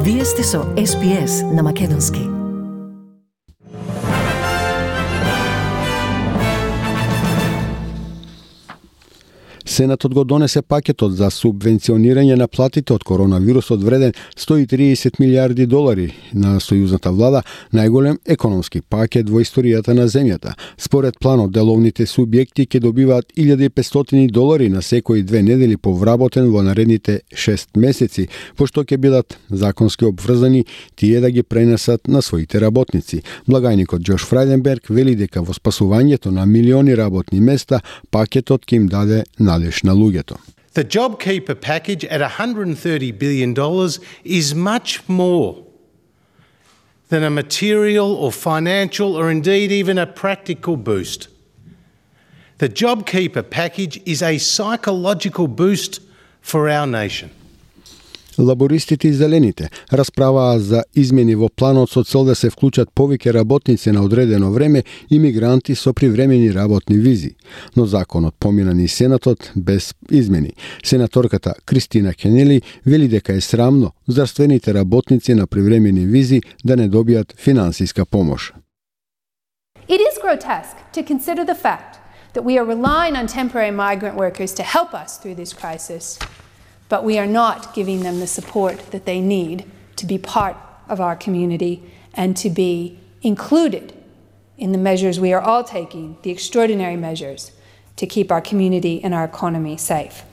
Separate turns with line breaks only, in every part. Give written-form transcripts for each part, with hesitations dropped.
Вие сте со SPS на Македонски.
Сенатот го донесе пакетот за субвенционирање на платите од коронавирусот вреден $130 милиарди на сојузната влада, најголем економски пакет во историјата на земјата. Според планот, деловните субјекти ќе добиваат $1.500 на секои 2 недели по вработен во наредните 6 месеци, пошто ќе бидат законски обврзани тие да ги пренесат на своите работници. Благајникот Џош Фрајденберг вели дека во спасувањето на милиони работни места пакетот ќе им даде надеж на луѓето.
The JobKeeper package at $130 billion is much more than a material or financial or indeed even a practical boost. The JobKeeper package is a psychological boost for our nation.
Лабористите и зелените расправаа за измени во планот со цел да се вклучат повеќе работници на одредено време и мигранти со привремени работни визи. Но законот помина низ Сенатот без измени. Сенаторката Кристина Кенели вели дека е срамно здравствените работници на привремени визи да не добијат финансиска помош.
It is grotesque to consider the fact that we are relying on temporary migrant workers to help us through this crisis, but we are not giving them the support that they need to be part of our community and to be included in the measures we are all taking, the extraordinary measures, to keep our community and our economy safe.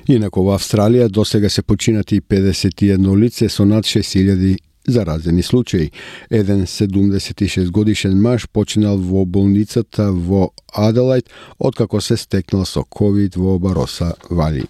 Инако во Австралија досега се починати 51 лице со над 6000 заразени случаи. Еден 76 годишен маж починал во болницата во Аделајд откако се стекнал со COVID во Бароса Вали.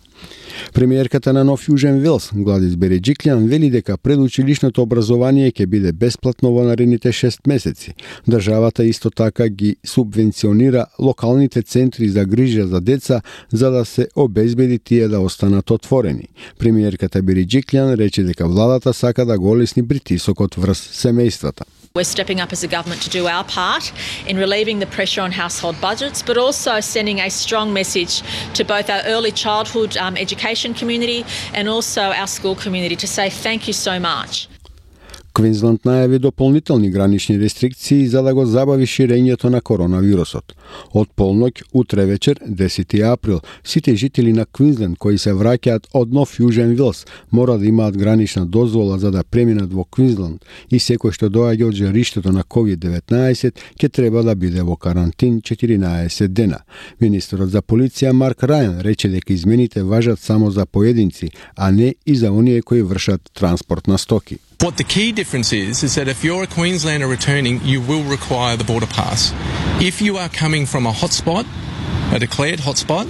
Премиерката на Нов Јужен Велс, Гладис Береџиклјан, вели дека предучилишното образование ќе биде бесплатно во наредните 6 месеци. Државата исто така ги субвенционира локалните центри за грижа за деца за да се обезбеди тие да останат отворени. Премиерката Береџиклјан рече дека владата сака да го олесни притисокот врз семејствата.
We're stepping up as a government to do our part in relieving the pressure on household budgets, but also sending a strong message to both our early childhood education community and also our school community to say thank you so much.
Квинсленд најави дополнителни гранични рестрикции за да го забави ширењето на коронавирусот. Од полноќ утре вечер, 10 април, сите жители на Квинсленд кои се враќаат од Нов Јужен Велс мора да имаат гранична дозвола за да преминат во Квинсленд и секој што доаѓа од жариштето на COVID-19 ќе треба да биде во карантин 14 дена. Министерот за полиција Марк Рајан рече дека измените важат само за поединци, а не и за оние кои вршат транспорт на стоки.
What the key difference is that if you're a Queenslander returning, you will require the border pass. If you are coming from a hotspot, a declared hotspot,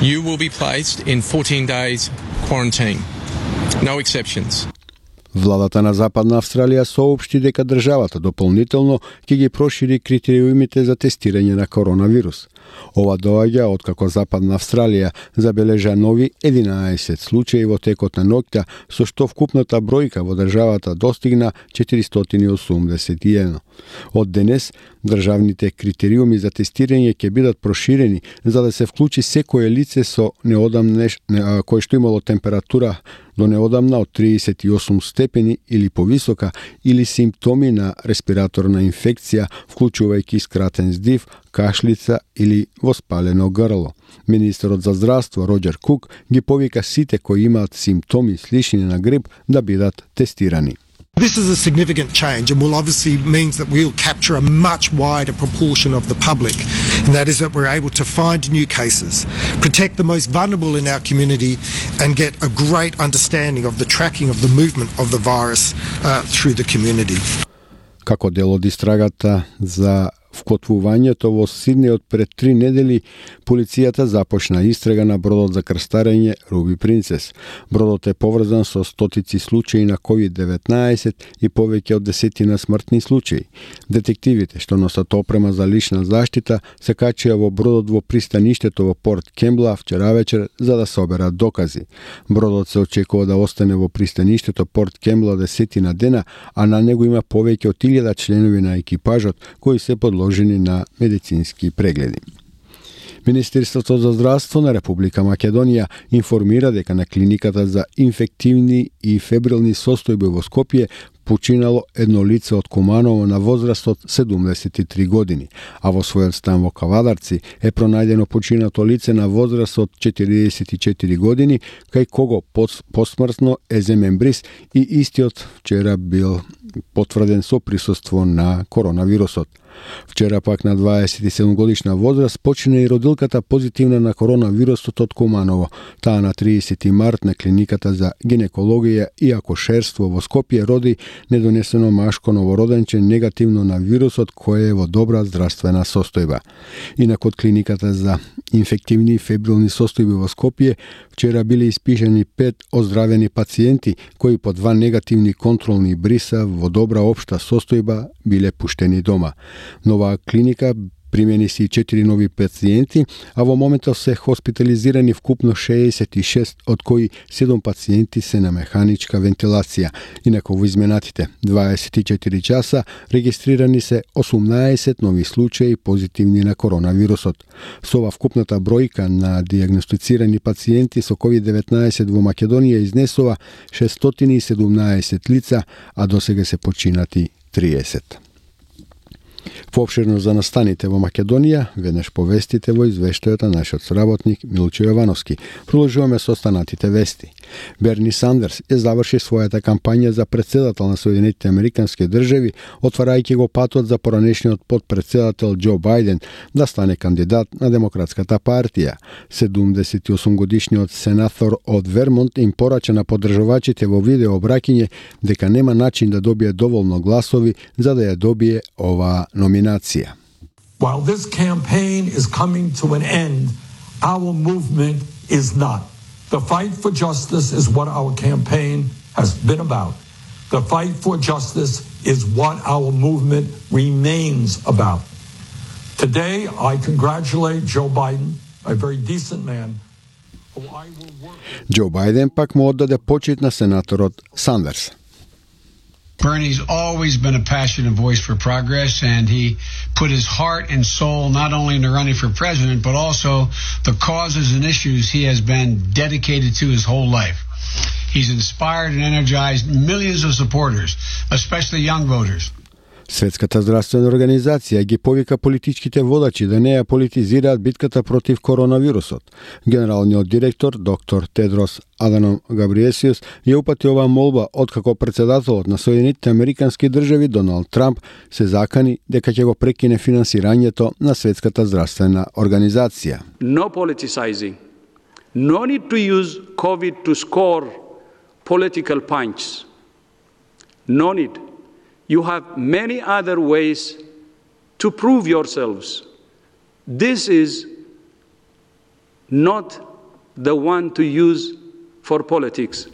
you will be placed in 14 days quarantine. No exceptions.
Владата на Западна Австралија соопшти дека државата дополнително ќе ги прошири критериумите за тестирање на коронавирус. Ова доаѓа откако Западна Австралија забележа нови 11 случаи во текот на ноќта, со што вкупната бројка во државата достигна 481. Од денес, државните критериуми за тестирање ќе бидат проширени за да се вклучи секое лице со кој што имало температура до неодамна од 38 степени или повисока или симптоми на респираторна инфекција, вклучувајќи скратен здив, кашлица или воспалено грло. Министерот за здравство Роџер Кук ги повика сите кои имаат симптоми слични на грип да бидат тестирани.
This is a significant change and will obviously means that we'll capture a much wider proportion of the public, and that is that we're able to find new cases, protect the most vulnerable in our community and get a great understanding of the tracking of the movement of the virus through the community.
Како дел од истрагата за вкотвувањето во Сиднеј од пред 3 недели, полицијата започна истрага на бродот за крстарење Руби Принцес. Бродот е поврзан со стотици случаи на COVID-19 и повеќе од десетина смртни случаи. Детективите што носат опрема за лична заштита се качија во бродот во пристаништето во Порт Кембла вчера вечер за да соберат докази. Бродот се очекува да остане во пристаништето Порт Кембла десетина дена, а на него има повеќе од 1000 членови на екипажот кои се подложени на медицински прегледи. Министерството за здравство на Република Македонија информира дека на клиниката за инфективни и фебрилни состојби во Скопје починало едно лице од Куманово на возраст од 73 години, а во својот стан во Кавадарци е пронајдено починато лице на возраст од 44 години, кај кого посмртно е земен бриз и истиот вчера бил потврден со присуство на коронавирусот. Вчера пак на 27 годишна возраст почина и родилката позитивна на коронавирусот од Куманово. Таа на 30 март на клиниката за гинекологија и акушерство во Скопје роди недонесено машко новороденче негативно на вирусот кој е во добра здравствена состојба. Инак од клиниката за инфективни и фебрилни состојби во Скопје вчера биле испишани 5 оздравени пациенти кои по 2 негативни контролни бриса во добра општа состојба биле пуштени дома. Нова клиника примени се и 4 нови пациенти, а во моментот се хоспитализирани вкупно 66, од кои 7 пациенти се на механичка вентилација. Инаку во изминатите 24 часа регистрирани се 18 нови случаи позитивни на коронавирусот. Со ова вкупната бројка на дијагностицирани пациенти со COVID-19 во Македонија изнесува 617 лица, а досега се починати 30. Поопширно за настаните во Македонија, веднаш повестите во извештајот на нашиот соработник Милчо Јовановски. Продолжуваме со останатите вести. Берни Сандерс е заврши својата кампања за председател на Соединетите Американски држави, отварајќи го патот за поранешниот подпредседател Џо Бајден да стане кандидат на Демократската партија. 78 годишниот сенатор од Вермонт им порача на поддржувачите во видео обраќање дека нема начин да добие доволно гласови за да ја добие ова номинација.
While this campaign is coming to an end, our movement is not. The fight for justice is what our campaign has been about. The fight for justice is what our movement remains about. Today, I congratulate Joe Biden, a very decent man.
Џо Бајден пак му оддаде почит на сенаторот Сандерс.
Bernie's always been a passionate voice for progress, and he put his heart and soul not only into running for president, but also the causes and issues he has been dedicated to his whole life. He's inspired and energized millions of supporters, especially young voters.
Светската здравствена организација ги повика политичките водачи да не ја политизираат битката против коронавирусот. Генералниот директор, доктор Тедрос Аданом Габриесиус, ја упати оваа молба откако председателот на Соединетите Американски држави Доналд Трамп се закани дека ќе го прекине финансирањето на Светската здравствена организација.
No politicizing. No need to use COVID to score political points. No need. You have many other ways to prove yourselves. This is not the one to use for politics.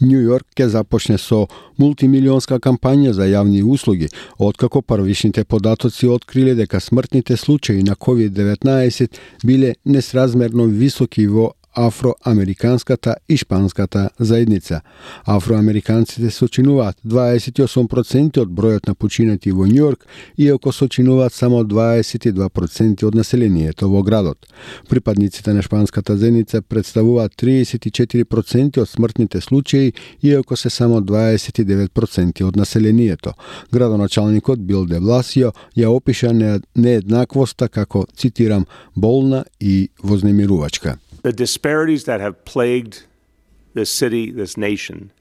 Нью Йорк ќе започне со мултимилионска кампања за јавни услуги, откако првичните податоци откриле дека смртните случаи на COVID-19 биле несразмерно високи во афроамериканската и шпанската заедница. Афроамериканците сочинуваат 28% од бројот на починати во Њујорк, иако сочинуваат само 22% од населението во градот. Припадниците на шпанската заедница представуваат 34% од смртните случаи, иако се само 29% од населението. Градоначалникот Бил де Бласио ја опиша нееднаквоста како, цитирам, болна и вознемирувачка.
The disparities that have plagued this city, this nation,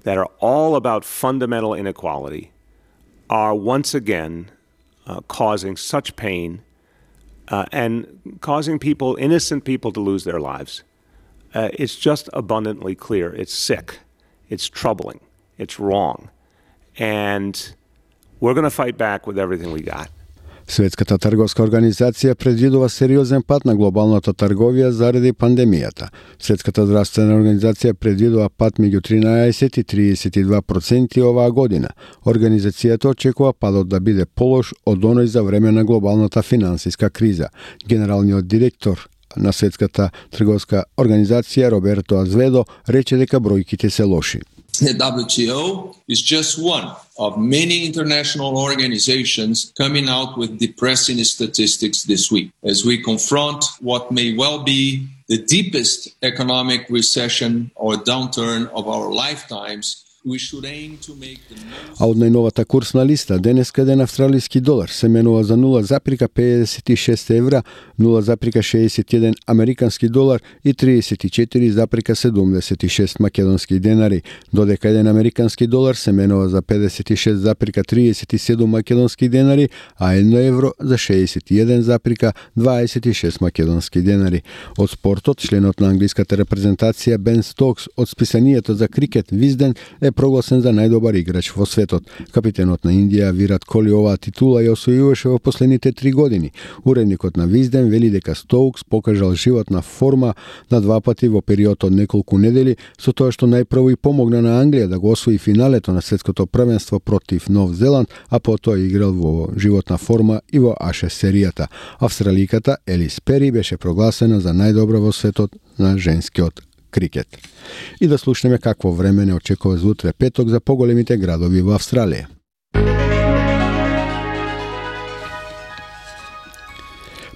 that are all about fundamental inequality, are once again causing such pain and causing people, innocent people, to lose their lives. It's just abundantly clear. It's sick. It's troubling. It's wrong. And we're going to fight back with everything we got.
Светската трговска организација предвидува сериозен пат на глобалната трговија заради пандемијата. Светската здравствена организација предвидува пат меѓу 13 и 32% оваа година. Организацијата очекува падот да биде полош од оној за време на глобалната финансиска криза. Генералниот директор на Светската трговска организација Роберто Азведо рече дека бројките се лоши.
The WTO is just one of many international organizations coming out with depressing statistics this week as we confront what may well be the deepest economic recession or downturn of our lifetimes.
А од најновата курсна листа, денеска еден австралиски долар се менува за 0,56 евра, 0,61 американски долар и 34,76 македонски денари, додека еден американски долар се менува за 56,37 македонски денари, а 1 евро за 61,26 македонски денари. Од спортот, членот на англиската репрезентација Бен Стокс од списанието за крикет Визден е прогласен за најдобар играч во светот. Капитенот на Индија Вират Коли оваа титула ја освојуваше во последните 3 години. Уредникот на Визден вели дека Стоукс покажал животна форма на 2 пати во период од неколку недели, со тоа што најпрво и помогна на Англија да го освои финалето на светското првенство против Нов Зеланд, а потоа играл во животна форма и во Ашес серијата. Австраликата Елис Пери беше прогласена за најдобра во светот на женскиот крикет. И да слушнеме какво време не очекува за утре петок за поголемите градови во Австралија.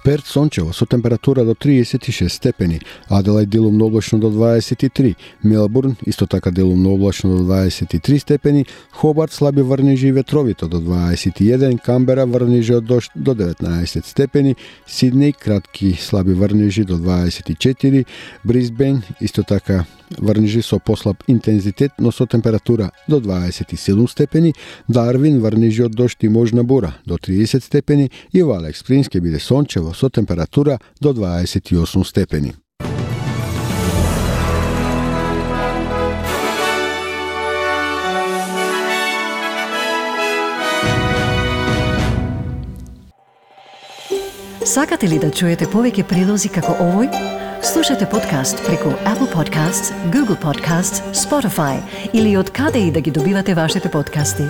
Перт сончево со температура до 36 степени, Аделајд делумно облачно до 23, Мелбурн исто така делумно облачно до 23 степени, Хобарт слаби врнежи и ветровито до 21, Камбера врнежи од дожд до 19 степени, Сиднеј кратки слаби врнежи до 24, Брисбен исто така врнежи со послаб интензитет, но со температура до 27 степени, Дарвин врнежи од дожд и можна бура до 30 степени и во Алекс Спрингс ќе биде сончево со температура до 28 степени.
Сакате ли да чуете повеќе прилози како овој? Слушате подкаст преку Apple Podcasts, Google Podcasts, Spotify или од каде и да ги добивате вашите подкасти.